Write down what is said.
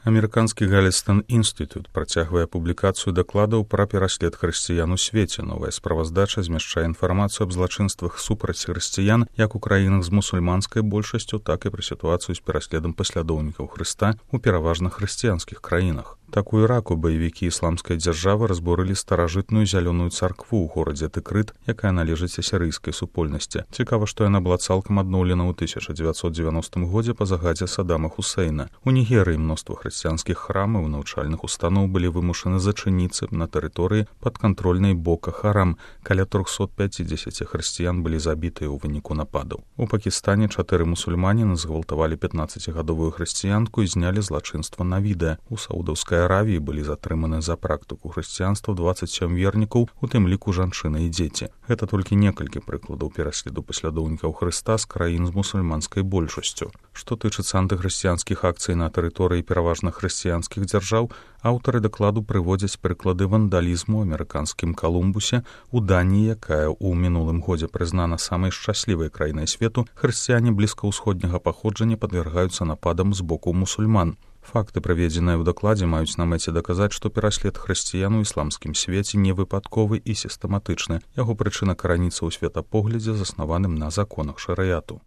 Амерыканскі Галлестон інстытут працягвае публікацыю дакладаў пра пераслед хрысціян у свеце. Новая справаздача змяшчае інфармацыю аб злачынствах супраць хрысціян як у краінах з мусульманскай большасцю, так і пра сітуацыю з пераследам паслядоўнікаў Хрыста ў пераважна хрысціянскіх краінах. Так у Іраку баевікі ісламскай дзяржавы разбурылі старажытную зялёную царкву ў горадзе Тыкрыт, якая належыць асірыйскай супольнасці. Цікава, што яна была цалкам адноўлена ў 1990 годзе па загадзе Саддама Хусейна. У Нігерыі мноства хрысціянскіх храмаў і навучальных устаноў былі вымушаны зачыніцца на тэрыторыі падкантрольнай Бока Харам. Каля 350 хрысціян былі забітыя ў выніку нападаў. У Пакістане 4 мусульманіны згвалтавалі 15гадовую хрысціянку і знялі злачынства на відэа. У Саудаўскай Аравіі былі затрыманы за практыку хрысціянства 27 вернікаў, у тым ліку жанчыны і дзеці. Гэта толькі некалькі прыкладаў пераследу паслядоўнікаў Хрыста з краін з мусульманскай большасцю. Што тычыцца антыхрысціянскіх акцый на тэрыторыі пераважна хрысціянскіх дзяржаў, аўтары дакладу прыводзяць прыклады вандалізму ў амерыканскім Калумбусе, у Даніі, якая ў мінулым годзе прызнана самай шчаслівай краінай свету, хрысціяне блізкаўсходняга паходжання падвяргаюцца нападам з боку мусульман. Факты, праведзеныя ў дакладзе, маюць на мэце даказаць, што пераслед хрысціян у ісламскім свеце не выпадковы і сістэматычны. Яго прычына караніцца ў светапоглядзе, заснаваным на законах шарыяту.